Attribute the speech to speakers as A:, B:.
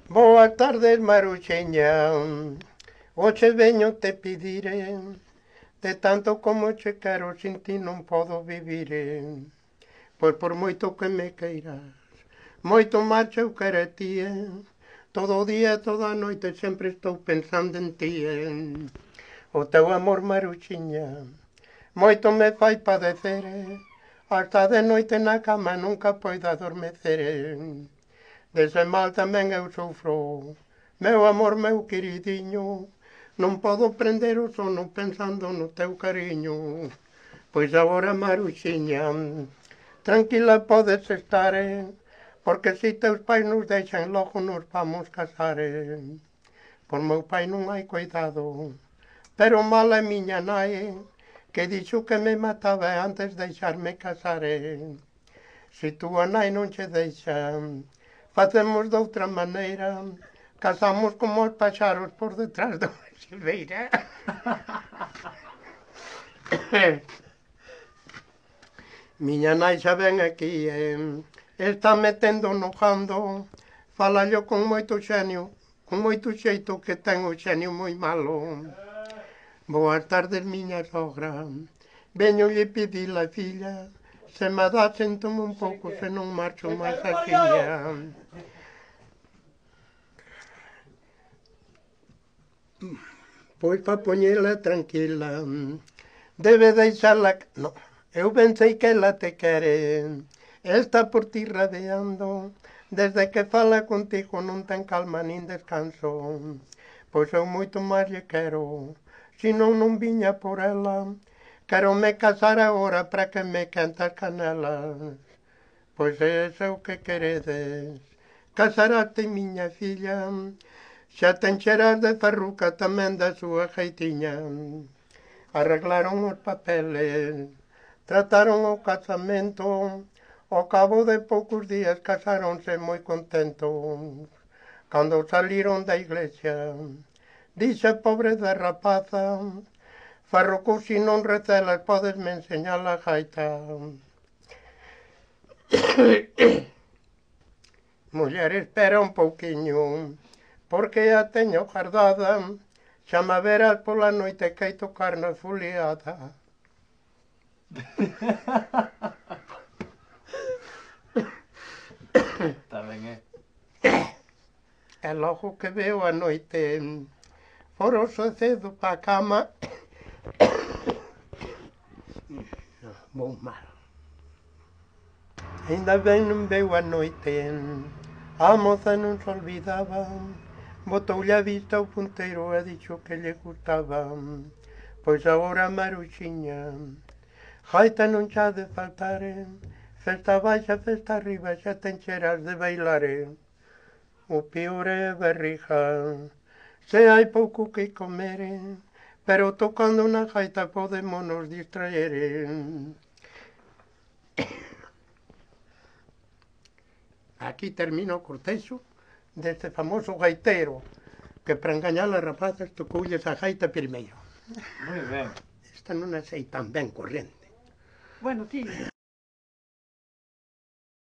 A: Boas tardes, Maruxeña. Hoxe veño te pediré, de tanto como che quero sin ti non podo vivir. Pois por moito que me queiras, moito máis eu quero a ti. Todo o día, toda a noite sempre estou pensando en ti. O teu amor, Maruxiña, moito me fai padecer. Hasta de noite na cama nunca poido adormecer. Dese mal tamén eu sofro, meu amor, meu queridinho, non podo prender o sono pensando no teu cariño. Pois agora, Maruxiña, tranquila podes estar, porque se teus pais nos deixan logo nos vamos casar. Por meu pai non hai cuidado, pero mala é miña nai, que dixo que me mataba antes de deixarme casar. Se túa nai non che deixa, facemos de outra maneira, casamos como os paxaros por detrás da silveira. Miña nai xa ven aquí, está metendo no jando, falallo con moito xenio, con moito xeito que ten o xenio moi malo. Boas tardes, miña sogra, veño lle pedir a filla, se me dá séntome un pouco, se non marcho máis axiña. Pois pa poñela tranquila, debe deixala... No, eu ben sei que ela te quere, está por ti radeando, desde que fala contigo non ten calma nin descanso. Pois eu moito máis lle quero, se non viña por ela, quero me casar agora para que me quente as canelas. Pois é o que queredes, casaraste, miña filla, xa te encheras de farruca tamén da súa jeitiña. Arreglaron os papeles, trataron o casamento, ao cabo de poucos días casáronse moi contentos. Cando saliron da iglesia, dixe pobre da rapaza, farruco, se non recelas, podesme enseñar a gaita. Muller, espera un pouquiño, porque a teño guardada, xa me verás pola noite que hai tocar na foliada.
B: Está ben,
A: E logo que veo a noite, foroso cedo pa cama, vou mal. Ainda ben non veu a noite, a moza non se olvidaba, botoulle a vista ao punteiro e dixo que lle gustaba. Pois agora, Maruxiña, gaita non xa de faltar, festa baixa, festa arriba, xa te encheras de bailar. O peor é a barriga, se hai pouco que comer, pero tocando na gaita podémonos distraer. Aquí termina o cortexo deste famoso gaitero, que para engañar as rapazas tocoulles a gaita primeiro.
B: moi ben.
A: Esta non a sei tan ben corriente.
C: Bueno, ti...